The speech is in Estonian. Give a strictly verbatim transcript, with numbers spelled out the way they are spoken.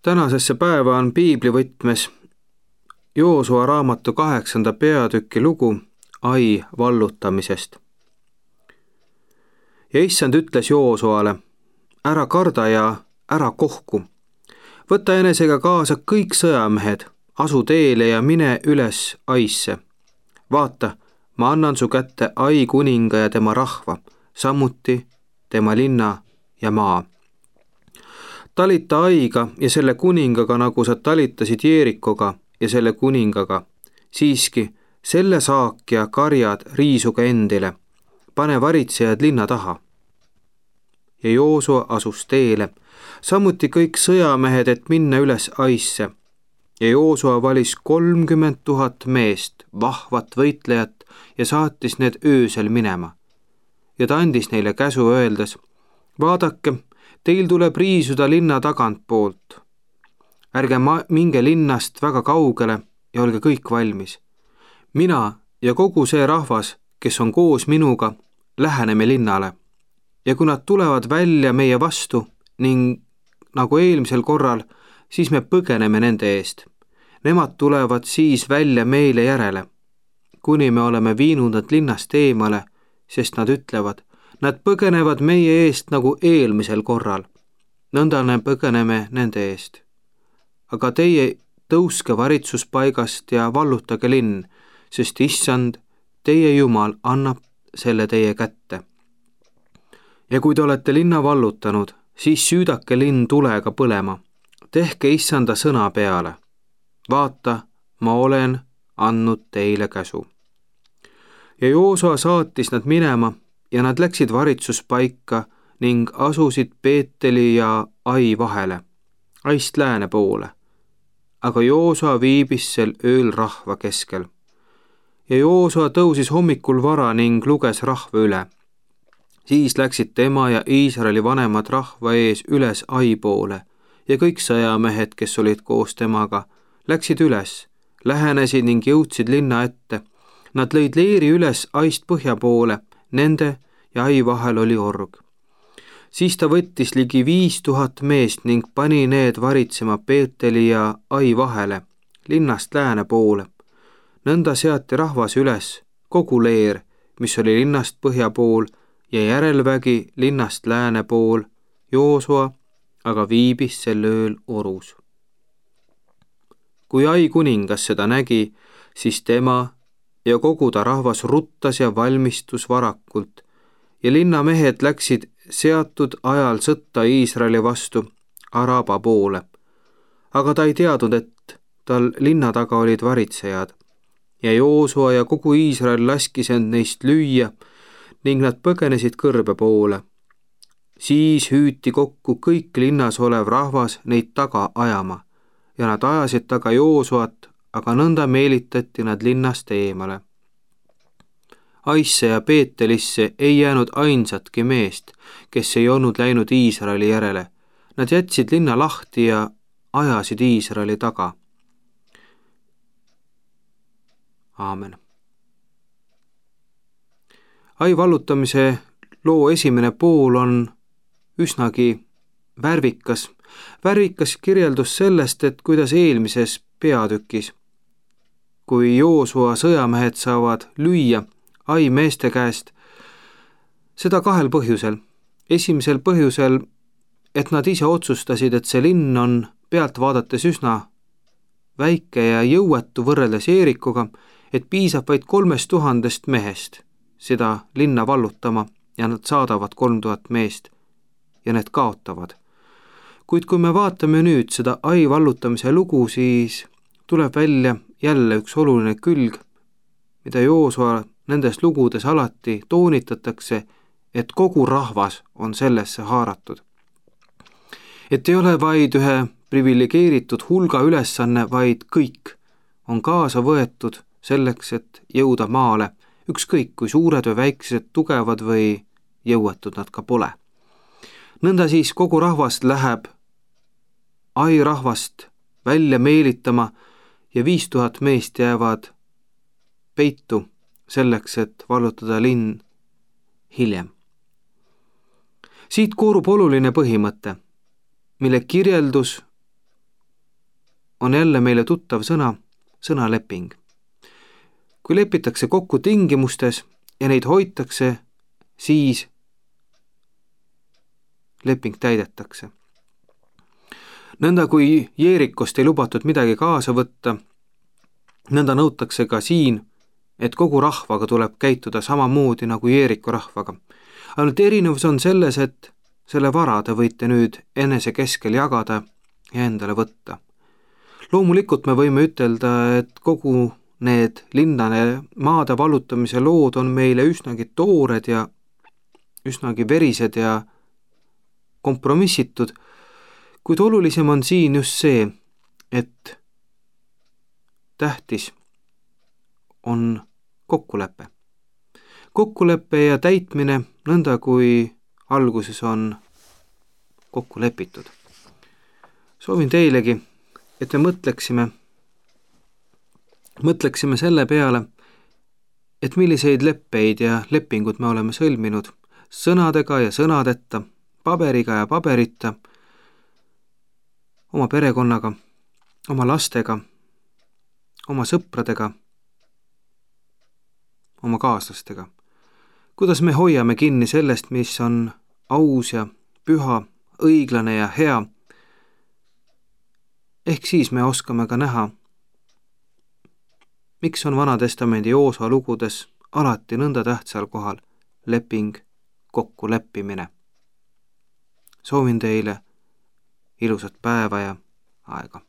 Tänasesse päeva on piiblivõtmes Joosua raamatu kaheksanda peatüki lugu Ai vallutamisest. Ja issand ütles Joosuale, ära karda ja ära kohku. Võta enesega kaasa kõik sõjamehed, asu teele ja mine üles Aisse. Vaata, ma annan su kätte Ai kuninga ja tema rahva, samuti tema linna ja maa. Talita Aiga ja selle kuningaga, nagu sa talitasid Jeerikoga ja selle kuningaga. Siiski, selle saak ja karjad riisuga endile. Pane varitsejad linna taha. Ja Joosua asus teele, samuti kõik sõjamehed, et minna üles Aisse. Ja Joosua valis kolmkümmend tuhat meest, vahvat võitlejat, ja saatis need öösel minema. Ja ta andis neile käsu öeldes, vaadake, teil tuleb riisuda linna tagant poolt. Ärge ma- minge linnast väga kaugele ja olge kõik valmis. Mina ja kogu see rahvas, kes on koos minuga, läheneme linnale. Ja kui nad tulevad välja meie vastu ning nagu eelmisel korral, siis me põgeneme nende eest. Nemad tulevad siis välja meile järele, kuni me oleme viinud nad linnast eemale, sest nad ütlevad, nad põgenevad meie eest nagu eelmisel korral. Nõnda me põgeneme nende eest. Aga teie tõuske varitsuspaigast ja vallutage linn, sest issand, teie Jumal annab selle teie kätte. Ja kui te olete linna vallutanud, siis süüdake linn tulega põlema. Tehke issanda sõna peale. Vaata, ma olen andnud teile käsu. Ja Joosua saatis nad minema ja nad läksid varitsuspaika ning asusid Peeteli ja Ai vahele, Aist lääne poole. Aga Joosua viibis sel ööl rahva keskel. Ja Joosua tõusis hommikul vara ning luges rahva üle. Siis läksid tema ja Iisraeli vanemad rahva ees üles Ai poole ja kõik sõjamehed, kes olid koos temaga, läksid üles, lähenesid ning jõudsid linna ette. Nad lõid leeri üles Aist põhja poole, nende ja Ai vahel oli org. Siis ta võttis ligi viis tuhat meest ning pani need varitsema Peeteli ja Ai vahele, linnast lääne poole. Nõnda seati rahvas üles, kogu leer, mis oli linnast põhja pool ja järelvägi linnast lääne pool. Joosua aga viibis sel ööl orus. Kui Ai kuningas seda nägi, siis tema ja kogu ta rahvas ruttas ja valmistus varakult ja linnamehed läksid seatud ajal sõtta Iisraeli vastu Araba poole. Aga ta ei teadnud, et tal linna taga olid varitsejad. Ja Joosua ja kogu Iisrael laskis end neist lüüa ning nad põgenesid kõrbe poole. Siis hüüti kokku kõik linnas olev rahvas neid taga ajama ja nad ajasid taga Joosuat, aga nõnda meelitati nad linnast eemale. Aisse ja Peetelisse ei jäänud ainsatki meest, kes ei olnud läinud Iisraeli järele. Nad jätsid linna lahti ja ajasid Iisraeli taga. Aamen. Ai vallutamise loo esimene pool on üsnagi värvikas. Värvikas kirjeldus sellest, et kuidas eelmises peatükis, kui Joosua sõjamehed saavad lüüa Ai meeste käest, seda kahel põhjusel. Esimesel põhjusel, et nad ise otsustasid, et see linn on pealt vaadates üsna väike ja jõuetu võrreldes Jeerikoga, et piisab vaid kolmest tuhandest mehest seda linna vallutama ja nad saadavad kolm tuhat meest ja need kaotavad. Kuid kui me vaatame nüüd seda Ai vallutamise lugu, siis tuleb välja jälle üks oluline külg, mida Joosua nendes lugudes alati toonitatakse, et kogu rahvas on sellesse haaratud. Et ei ole vaid ühe privilegeeritud hulga ülesanne, vaid kõik on kaasa võetud selleks, et jõuda maale, ükskõik kui suured või väiksed, tugevad või jõuetud nad ka pole. Nõnda siis kogu rahvas läheb Ai rahvast välja meelitama ja viis tuhat meest jäävad peitu selleks, et vallutada linn hiljem. Siit koorub oluline põhimõte, mille kirjeldus on jälle meile tuttav sõna, sõna leping. Kui lepitakse kokku tingimustes ja neid hoitakse, siis leping täidetakse. Nõnda kui Jeerikost ei lubatud midagi kaasa võtta, nõnda nõutakse ka siin, et kogu rahvaga tuleb käituda samamoodi nagu Jeeriku rahvaga. Ainult erinevus on selles, et selle vara te võite nüüd enese keskel jagada ja endale võtta. Loomulikult me võime ütelda, et kogu need linnane maade vallutamise lood on meile üsnagi toored ja üsnagi verised ja kompromissitud, kuid olulisem on siin just see, et tähtis on kokkulepe. Kokkulepe ja täitmine nõnda, kui alguses on kokku lepitud. Soovin teilegi, et me mõtleksime, mõtleksime selle peale, et milliseid leppeid ja lepingud me oleme sõlminud sõnadega ja sõnadeta, paberiga ja paberita, oma perekonnaga, oma lastega, oma sõpradega, oma kaaslastega. Kuidas me hoiame kinni sellest, mis on aus ja püha, õiglane ja hea. Ehk siis me oskame ka näha, miks on Vanatestamendi Joosa lugudes alati nõnda tähtsal kohal leping, kokkuleppimine. Soovin teile ilusat päeva ja aega.